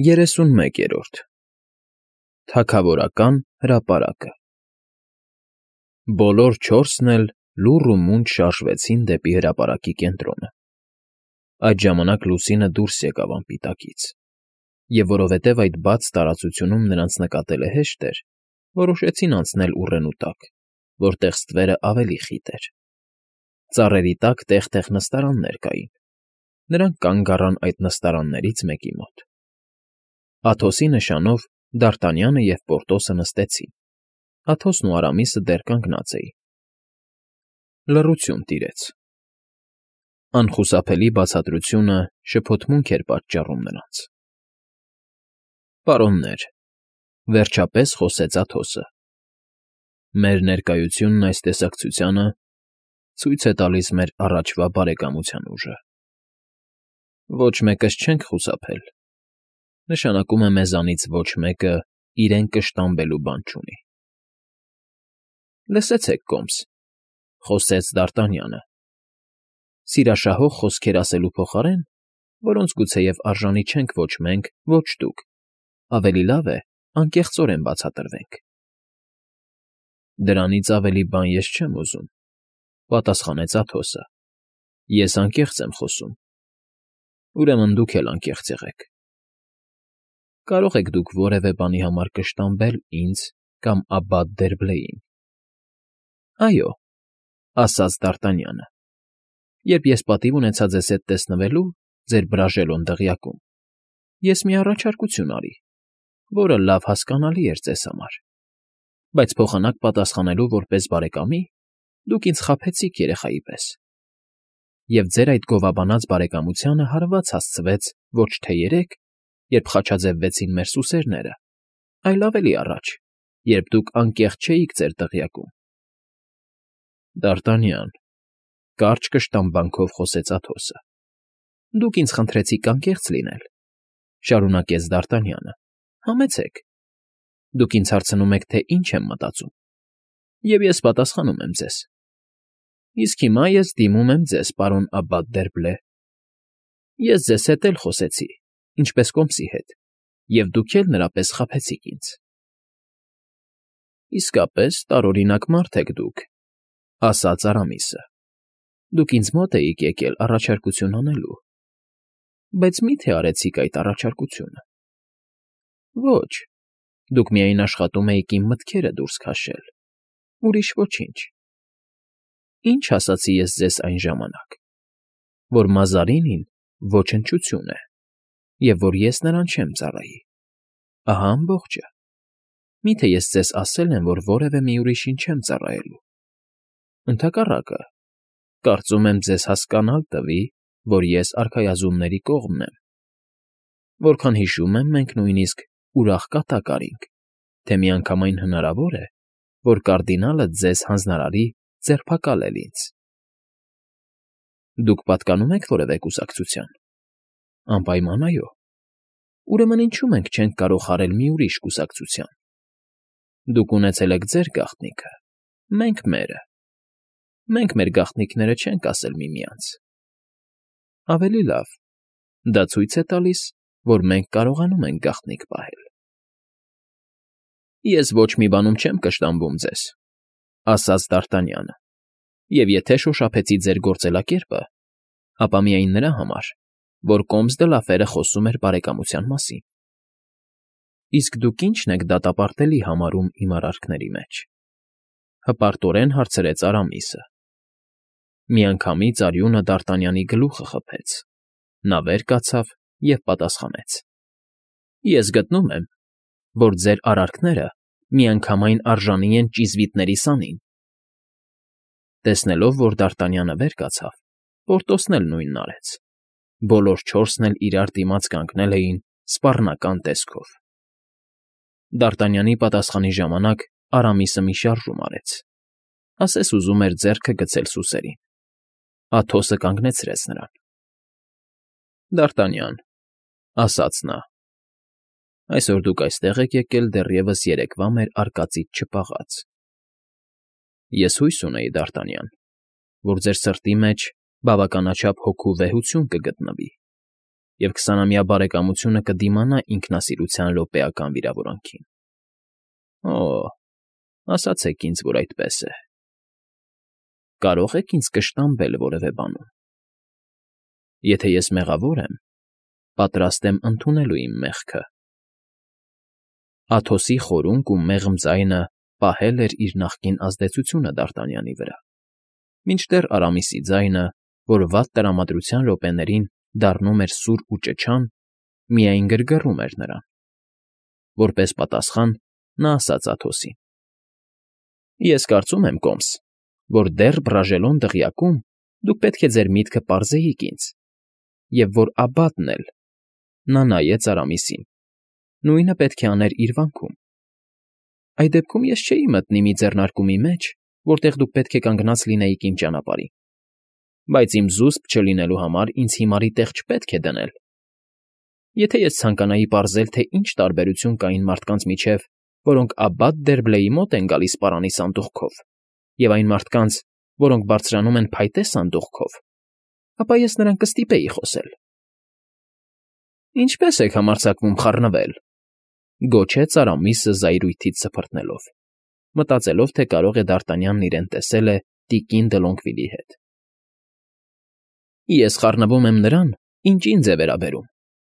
31-րդ Թագավորական հրապարակը Բոլոր չորսն էլ լուռ ու մունջ շարժվեցին դեպի հրապարակի կենտրոնը։ Այդ ժամանակ լուսինը դուրս եկավ անպիտակից, և որովհետև այդ բաց տարածությունում նրանց նկատելը հեշտ էր, որոշեցին անցնել ուռենու տակ, որտեղ ստվերը ավելի խիտ էր։ Ծառերի տակ տեղ֊տեղ նստարաններ կային։ Նրանք կանգ առան այդ նստարաններից մեկի մոտ։ Աթոսի նշանով Դարտանյանը և Պորտոսը նստեցին, Աթոսն ու Արամիսը դեռ կանգնած էին։ Լռություն տիրեց։ Անխուսափելի բացատրությունը շփոթմունք էր պատճառում նրանց։ Պարոններ, վերջապես խոսեց Աթոսը, մեր ներկայությունն այս տեսակցությանը ցույց է տալիս մեր առաջվա բարեկամության ուժը։ Ոչ մեկս չենք խուսափել, նշանակում է մեզանից ոչ մեկը իրեն կշտամբելու բան չունի։ Լսեցեք, կոմս, խոսեց Դարտանյանը, սիրաշահող խոսքեր ասելու փոխարեն, որոնց գուցեև արժանի չենք ոչ մենք, ոչ դուք, ավելի լավ է անկեղծորեն բացատրվենք։ Դրանից ավելի բան ես չեմ ուզում, պատասխանեց Աթոսը, ես անկեղծ եմ խոսում, ուրեմն դուք էլ անկեղծ եղեք։ Կարող եք դուք որևէ բանի համար կշտամբել ինձ կամ Աբբատ Դերբլեին։ Այո, ասաց Դարտանյանը, երբ ես պատիվ ունեցա ձեզ հետ տեսնվելու ձեր Բրաժելոն դղյակում, ես մի առաջարկություն արի, որը լավ հասկանալի էր ձեզ համար, բայց փոխանակ պատասխանելու որպես բարեկամի դուք ինձ խաբեցիք երեխայի պես, և ձեր այդ գովաբանած բարեկամությանը հարված հասցվեց ոչ թե երեկ, երբ խաչաձևվեցին մեր սուսերները, այլ ավելի առաջ, երբ դուք անկեղծ չէիք ձեր դղյակում։ Դարտանյան, կարճ կշտամբանքով խոսեց Աթոսը, դուք ինձ խնդրեցիք անկեղծ լինել, շարունակեց Դարտանյանը, համեցեք, դուք ինձ հարցնում եք, թե ինչ եմ մտածում, և ես պատասխանում եմ ձեզ։ Իսկ հիմա ես դիմում եմ ձեզ, պարոն Աբբատ Դերբլե։ Ես ձեզ հետ էլ խոսեցի, ինչպես կոմսի հետ, և դուք էլ նրա պես խաբեցիք ինձ։ Իսկապես տարօրինակ մարդ եք դուք, ասաց Արամիսը։ Դուք ինձ մոտ էիք եկել առաջարկություն անելու, բայց մի՞թե արեցիք այդ առաջարկությունը։ Ոչ, դուք միայն աշխատում էիք իմ մտքերը դուրս քաշել, ուրիշ ոչինչ։ Ինչ ասացի ես ձեզ այն ժամանակ, որ Մազարինին ոչնչություն է, և որ ես նրան չեմ ծառայի։ Ահա ամբողջը։ Մի՞թե ես ձեզ ասել եմ, որ որևէ մի ուրիշին չեմ ծառայելու։ Ընդհակառակը, կարծում եմ ձեզ հասկանալ տվի, որ ես արքայազնների կողմն եմ։ Որքան հիշում եմ, մենք նույնիսկ ուրախ կատակ արինք, թե միանգամայն հնարավոր է, որ կարդինալը ձեզ հանձնարարի ձերբակալել ինձ։ Դուք պատկանում եք որևէ կուսակցության։ Անպայման այո։ Ուրեմն ինչու մենք չենք կարող հարել մի ուրիշ կուսակցության։ Դուք ունեցել եք ձեր գաղտնիքը, մենք մերը։ Մենք մեր գաղտնիքները չենք ասել միմյանց։ Ավելի լավ, դա ցույց է տալիս, որ մենք կարողանում ենք գաղտնիք պահել։ Ես ոչ մի բանում չեմ կշտամբում ձեզ, ասաց Դարտանյանը, և եթե շոշափեցի ձեր գործելակերպը, ապա միայն նրա համար, որ կոմս դե Լաֆերը խոսում էր բարեկամության մասին։ Իսկ դուք ի՞նչն եք դատապարտելի համարում իմ արարքների մեջ։ Հպարտորեն հարցրեց Արամիսը։ Միանգամից արյունը Դարտանյանի գլուխը խփեց, նա վեր կացավ և պատասխանեց. Ես գտնում եմ, որ ձեր արարքները միանգամայն արժանի են ճիզվիտների սանին։ Տեսնելով, որ Դարտանյանը վեր կացավ, Պորտոսն էլ նույնն արեց։ Բոլոր չորսն էլ իրար դիմաց կանգնել էին սպառնական տեսքով։ Դարտանյանի պատասխանի ժամանակ Արամիսը մի շարժում արեց, ասես ուզում էր ձեռքը գցել սուսերին։ Աթոսը կանգնեցրեց նրան։ Դարտանյան, ասաց նա, այսօր դուք այստեղ եք եկել դեռևս երեկվա մեր արկածից չպաղած։ Ես հույս ունեի, Դարտանյան, որ ձեր սրտի մեջ բավականաչափ հոգու վեհություն կգտնվի, և 20-ամյա բարեկամությունը կդիմանա ինքնասիրության րոպեական վիրավորանքին։ Օ՜, ասացեք ինձ, որ այդպես է։ Կարո՞ղ եք ինձ կշտամբել որևէ բանում։ Եթե ես մեղավոր եմ, պատրաստ եմ ընդունելու իմ մեղքը։ Աթոսի խորունկ ու մեղմ ձայնը պահել էր իր նախկին ազդեցությունը Դարտանյանի վրա, մինչդեռ Արամիսի ձայնը, որ վատ տրամադրության րոպեներին դառնում էր սուր ու ճչան, միայն գրգռում էր նրան։ Որպես պատասխան նա ասաց Աթոսին. Ես կարծում եմ, Կոմս, որ դեռ բռաժելոն դղյակում դուք պետք է ձեր միտքը պարզեիք ինձ, և որ Աբատն էլ, նա նայեց Արամիսին, նույնը պետք է աներ իր վանքում։ Այդ դեպքում ես չէի մտնի մի ձեռնարկումի մեջ, որտեղ դուք պետք է կանգնած լինեիք իմ ճանապարհին, բայց իմ զուսպ չլինելու համար ինձ հիմարի տեղ չպետք է դնել։ Եթե ես ցանկանայի պարզել, թե ինչ տարբերություն կա այն մարդկանց միջև, որոնք Աբբատ Դերբլեի մոտ են գալիս պարանի սանդուղքով, և այն մարդկանց, որոնք բարձրանում են փայտե սանդուղքով, ապա ես նրան կստիպեի խոսել։ Ինչպե՞ս եք համարձակվում խառնվել,֊ գոչեց Արամիսը զայրույթից սփռտնելով, մտածելով, թե կարող է Դարտանյանն իրեն տեսել է տիկին Դլոնգվիլի հետ։ Ես խառնվում եմ նրան, ինչ ինձ է վերաբերում,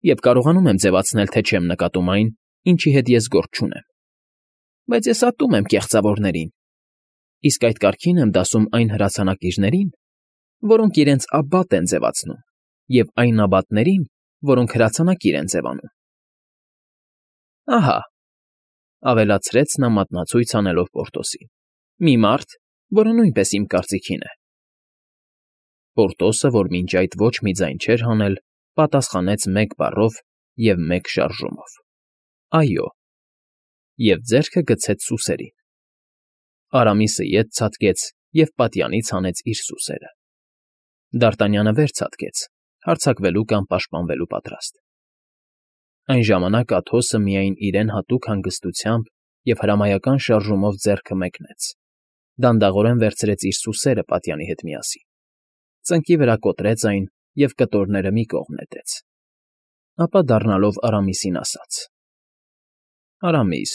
և կարողանում եմ ձևացնել, թե չեմ նկատում այն, ինչի հետ ես գործ չունեմ։ Բայց ես ատում եմ կեղծավորներին, իսկ այդ կարգին եմ դասում այն հրացանակիրներին, որոնք իրենց աբբատ են ձևացնում, և այն աբատներին, որոնք հրացանակիր են ձևանում։ Ահա,֊ ավելացրեց նա մատնացույց անելով Պորտոսին,֊ մի մարդ, որը նույնպես իմ կարծիքին է։ Պորտոսը, որ մինչ այդ ոչ մի ձայն չէր հանել, պատասխանեց մեկ բառով և մեկ շարժումով. այո, և ձեռքը գցեց սուսերին։ Արամիսը ետ ցատկեց և պատյանից հանեց իր սուսերը։ Դարտանյանը վեր ցատկեց, հարձակվելու կամ պաշտպանվելու պատրաստ։ Այն ժամանակ Աթոսը միայն իրեն հատուկ հանգստությամբ և հրամայական շարժումով ձեռքը մեկնեց, դանդաղորեն վերցրեց իր սուսերը պատյանի հետ միասին, ծնկի վրա կոտրեց այն և կտորները մի կողմ նետեց, ապա դառնալով Արամիսին ասաց. Արամիս,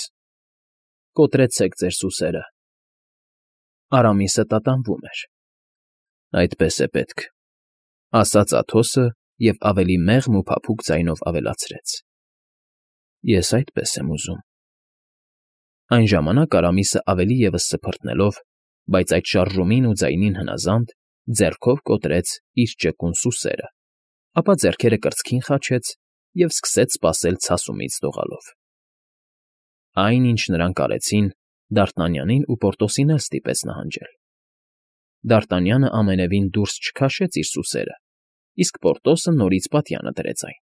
կոտրեցեք ձեր սուսերը։ Արամիսը տատանվում էր։ Այդպես է պետք, ասաց Աթոսը և ավելի մեղմ ու փափուկ ձայնով ավելացրեց. Ես այդպես եմ ուզում։ Այն ժամանակ Արամիսը ավելի ևս սփռտնելով, բայց այդ շարժումին ու ձայնին հնազանդ, ձեռքով կոտրեց իր ճկուն սուսերը, ապա ձեռքերը կրծքին խաչեց և սկսեց սպասել ցասումից դողալով։ Այն, ինչ նրանք արեցին, Դարտանյանին ու Պորտոսին էլ ստիպեց նահանջել։ Դարտանյանը ամենևին դուրս չքաշեց իր սուսերը, իսկ Պորտոսը նորից պատյանը դրեց այն։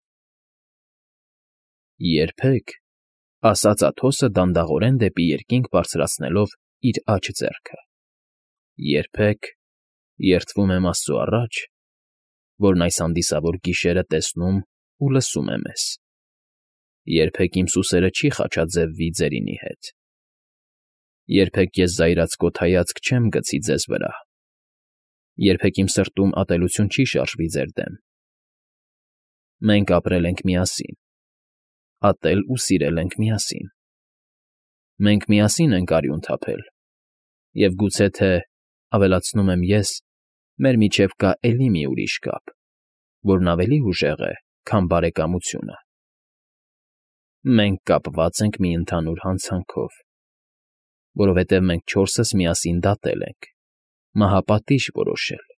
Երբեք,֊ ասաց Աթոսը դանդաղորեն դեպի երկինք բարձրացնելով իր աջ ձեռքը,֊ երբեք, երդվում եմ Աստծու առաջ, որն այս հանդիսավոր գիշերը տեսնում ու լսում է մեզ, երբեք իմ սուսերը չի խաչաձևվի ձերինի հետ, երբեք ես զայրացկոտ հայացք չեմ գցի ձեզ վրա, երբեք իմ սրտում ատելություն չի շարժվի ձեր դեմ։ Մենք ապրել ենք միասին, ատել ու սիրել ենք միասին։ Մենք միասին ենք արյուն թափել, և գուցե թե, ավելացնում եմ ես, մեր միջև կա էլի մի ուրիշ կապ, որն ավելի ուժեղ է, քան բարեկամությունը։ Մենք կապված ենք մի ընդհանուր հանցանքով, որովհետև մենք չորսս միասին դատել ենք, մահապատիժ որոշել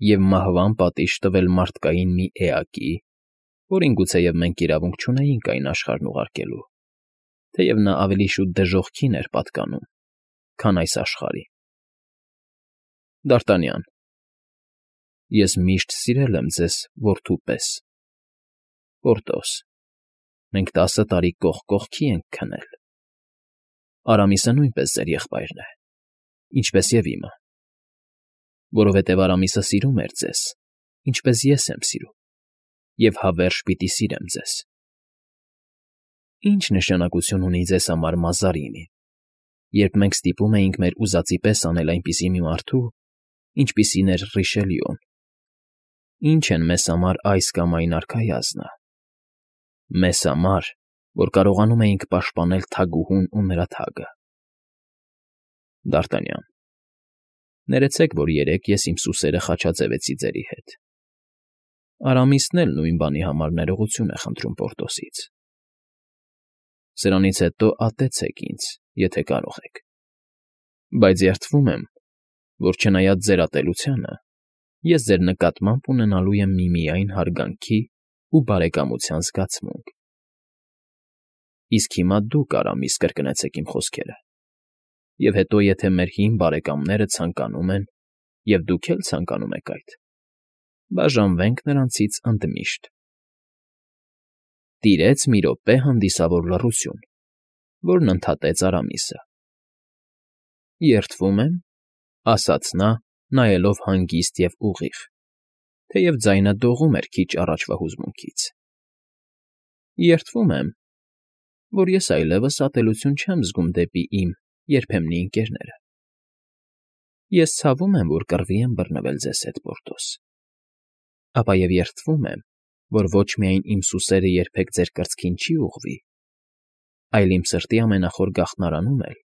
և մահվան պատիժ տվել մարդկային մի էակի, որին գուցեև մենք իրավունք չունեինք այն աշխարհն ուղարկելու, թեև նա ավելի շուտ դժոխքին էր պատկանում, քան այս աշխարհի։ Դարտանյան, ես միշտ սիրել եմ ձեզ որդու պես։ Պորտոս, մենք 10 տարի կողք կողքի ենք քնել։ Արամիսը նույնպես ձեր եղբայրն է, ինչպես և իմը, որովհետև Արամիսը սիրում էր ձեզ, ինչպես ես եմ սիրում, և հավերժ պիտի սիրեմ ձեզ։ Ինչ նշանակություն ունի ձեզ համար Մազարինին, երբ մենք ստիպում էինք մեր ուզածի պես անել այնպիսի մի մարդու, ինչպիսին էր Ռիշելյուն, Ինչ են մեզ համար այս կամ այն արքայազնը։ Մեզ համար, որ կարողանում էինք պաշտպանել թագուհուն ու նրա թագը։ Դ'Արտանյան, ներեցեք, որ երեկ ես իմ սուսերը խաչաձևեցի ձերի հետ։ Արամիսն էլ նույն բանի համար ներողություն է խնդրում Պորտոսից։ Սրանից հետո ատեցեք ինձ, եթե կարող եք։ Բայց երդվում եմ, որ չնայած ձեր ատելությանը, ես ձեր նկատմամբ ունենալու եմ միմիայն հարգանքի ու բարեկամության զգացմունք։ Իսկ հիմա դուք, Արամիս, կրկնեցեք իմ խոսքերը։ Եվ հետո, եթե մեր հին բարեկամները ցանկանում են, և դուք էլ ցանկանում եք այդ, բաժանվենք նրանցից ընդմիշտ։ Տիրեց մի րոպե հանդիսավոր լռություն, որն ընդհատեց Արամիսը։ Երդվում եմ, ասաց նա, նայելով հանգիստ և ուղիղ, թեև ձայնը դողում էր քիչ առաջվա հուզմունքից։ Երդվում եմ, որ ես այլևս ատելություն չեմ զգում դեպի իմ երբեմնի ընկերները։ Ես ցավում եմ, որ կռվի եմ բռնվել ձեզ հետ, Պորտոս, ապա և երդվում եմ, որ ոչ միայն իմ սուսերը երբեք ձեր կրծքին չի ուղղվի, այլ իմ սրտի ամենախոր գաղտնարանում էլ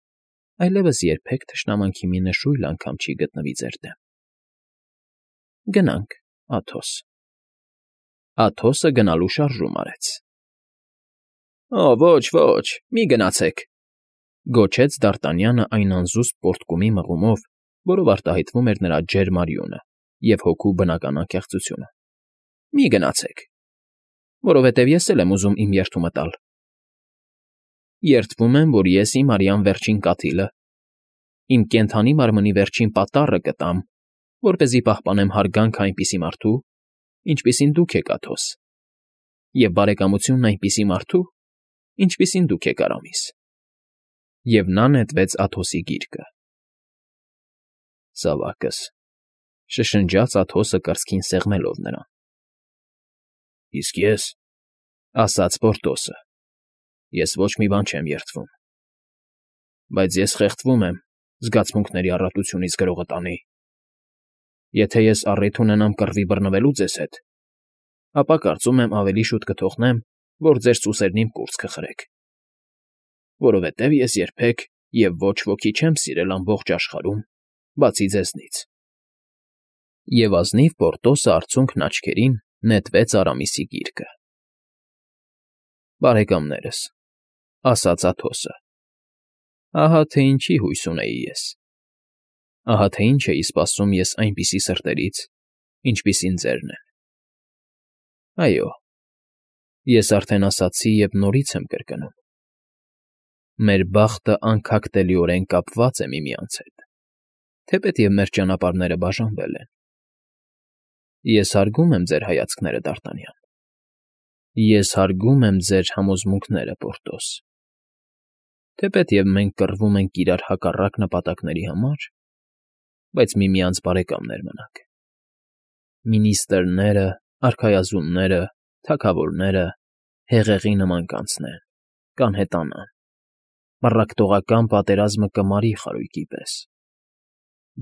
այլևս երբեք թշնամանքի մի նշույլ անգամ չի գտնվի ձեր դեմ։ Գնանք, Աթոս։ Աթոսը գնալու շարժում արեց։ Ոչ, ոչ, մի գնացեք,֊ գոչեց Դ'Արտանյանը այն անզուսպ պոռթկումի մղումով, որով արտահայտվում էր նրա ջերմ արյունը և հոգու բնական անկեղծությունը։ Մի գնացեք, որովհետև ես էլ եմ ուզում իմ երդումը տալ։ Երդվում եմ, որ ես իմ արյան վերջին կաթիլը, իմ կենդանի մարմնի վերջին պատառը կտամ, որպեսզի պահպանեմ հարգանքը այնպիսի մարդու, ինչպիսին դուք եք, Աթոս, և բարեկամությունն այնպիսի մարդու, ինչպիսին դուք եք, Արամիս։ Եվ նա նետվեց Աթոսի գիրկը։ Զավակս,֊ շշնջաց Աթոսը կրծքին սեղմելով նրան։ Իսկ ես,֊ ասաց Պորտոսը,֊ ես ոչ մի բան չեմ երդվում։ Բայց ես խեղդվում եմ զգացմունքների առատությունից գրողը տանի։ Եթե ես առիթ ունենամ կռվի բռնվելու ձեզ հետ, ապա կարծում եմ ավելի շուտ կթողնեմ, որ ձեր սուսերն իմ կուրծքը խրեք, որովհետև ես երբեք և ոչ ոքի չեմ սիրել ամբողջ աշխարհում, բացի ձեզնից։ Եվ ազնիվ Պորտոսը արցունքն աչքերին նետվեց Արամիսի գիրկը։ Բարեկամներս,֊ ասաց Աթոսը,֊ ահա թե ինչի հույս ունեի ես։ Ահա թե ինչ էի սպասում ես այնպիսի սրտերից, ինչպիսին ձերն են։ Այո, ես արդեն ասացի և նորից եմ կրկնում. մեր բախտը անքակտելիորեն կապված է միմյանց հետ, թեպետև մեր ճանապարհները բաժանվել են։ Ես հարգում եմ ձեր հայացքները, Դ'Արտանյան։ Ես հարգում եմ ձեր համոզմունքները, Պորտոս։ Թեպետև մենք կռվում ենք իրար հակառակ նպատակների համար, բայց միմյանց բարեկամներ մնանք։ Մինիստրները, արքայազունները, թագավորները հեղեղի նման կանցնեն, կանհետանան, մռակտողական պատերազմը կմարի խարույկի պես,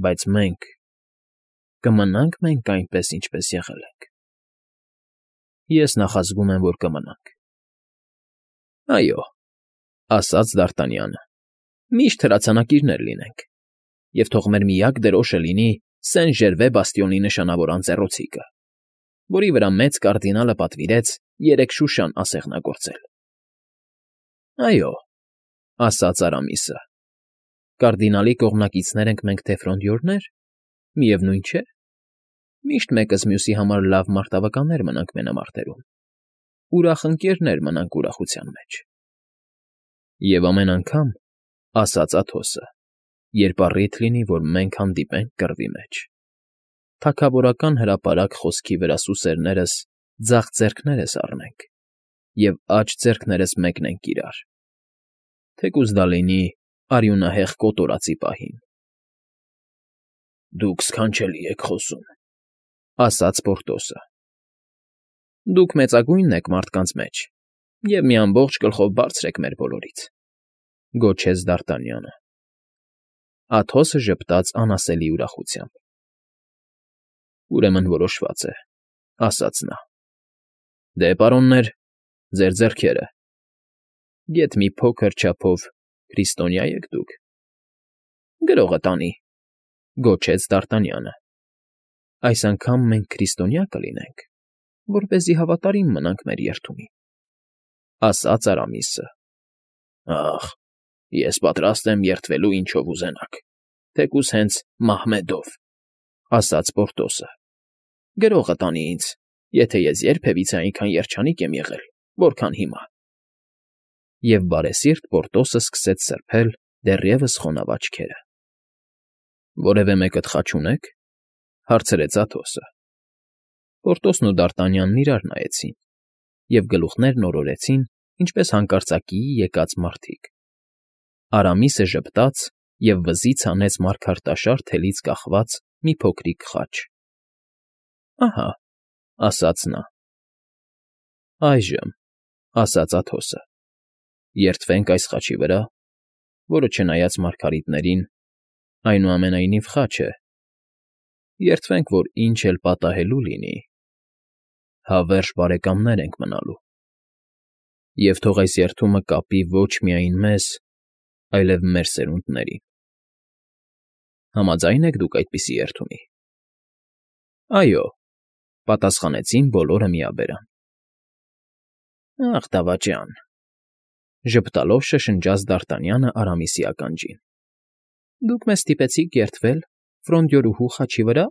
բայց մենք կմնա՞նք մենք այնպես, ինչպես եղել ենք։ Ես նախազգում եմ, որ կմնանք։ Այո,֊ ասաց Դ'Արտանյանը,֊ միշտ հրացանակիրներ լինենք, և թող մեր միակ դրոշը լինի Սեն֊Ժերվե բաստիոնի նշանավոր անձեռոցիկը, որի վրա մեծ կարդինալը պատվիրեց 3 շուշան ասեղնագործել։ Այո,֊ ասաց Արամիսը,֊ կարդինալի կողմնակիցներ ենք մենք թե ֆրոնդյորներ, միևնույն չէ։ Միշտ մեկս մյուսի համար լավ մարտավականներ մնանք մենամարտերում, ուրախ ընկերներ մնանք ուրախության մեջ։ Եվ ամեն անգամ,֊ ասաց Աթոսը,֊ երբ առիթ լինի, որ մենք հանդիպենք կռվի մեջ, թագավորական հրապարակ խոսքի վրա սուսերներս ձախ ձեռքներս առնենք և աջ ձեռքներս մեկնենք իրար, թեկուզ դա լինի արյունահեղ կոտորածի պահին։ Դուք սքանչելի եք խոսում,֊ ասաց Պորտոսը։ Դուք մեծագույնն եք մարդկանց մեջ և մի ամբողջ գլխով բարձր եք մեր բոլորից,֊ գոչեց Դ'Արտանյանը։ Աթոսը ժպտաց անասելի ուրախությամբ։ Ուրեմն որոշված է։ ասաց նա։ Դե, պարոններ, ձեր ձեռքերը։ Գեթ մի փոքր չափով քրիստոնյա եք դուք։ Գրողը տանի, գոչեց Դ'Արտանյանը։ Այս անգամ մենք քրիստոնյա կլինենք, որպեսզի հավատարիմ մնանք մեր երդումին, ասաց Արամիսը։ Ախ, ես պատրաստ եմ երդվելու ինչով ուզենաք, թեկուզ հենց Մահմեդով, ասաց Պորտոսը։ Գրողը տանի ինձ, եթե ես երբևիցե այնքան երջանիկ եմ եղել, որքան հիմա։ Եվ բարեսիրտ Պորտոսը սկսեց սրբել դեռևս խոնավ աչքերը։ Որևէ մեկը թխաչ ունե՞ք, հարցրեց Աթոսը։ Պորտոսն ու Դ'Արտանյանն իրար նայեցին և գլուխներն օրորեցին, ինչպես հանկարծակիի եկած մարդիկ։ Արամիսը ժպտաց և վզից հանեց մարգարտաշար թելից կախված մի փոքրիկ խաչ։ Ահա, ասաց նա։ Այժմ, ասաց Աթոսը, երդվենք այս խաչի վրա, որը չնայած մարգարիտներին, այնուամենայնիվ խաչ է, երդվենք, որ ինչ էլ պատահելու լինի, հավերժ բարեկամներ ենք մնալու, և թող այս երդումը կապի ոչ միայն մեզ, այլև մեր սերունդներին։ Համաձա՞յն եք դուք այդպիսի երդումի։ Այո, պատասխանեցին բոլորը միաբերան։ Ախ, դավաճան, ժպտալով շշնջաց Դ'Արտանյանը Արամիսի ականջին։ Դուք մեզ ստիպեցիք երդվել Ֆրոնդյորուհու խաչի վրա։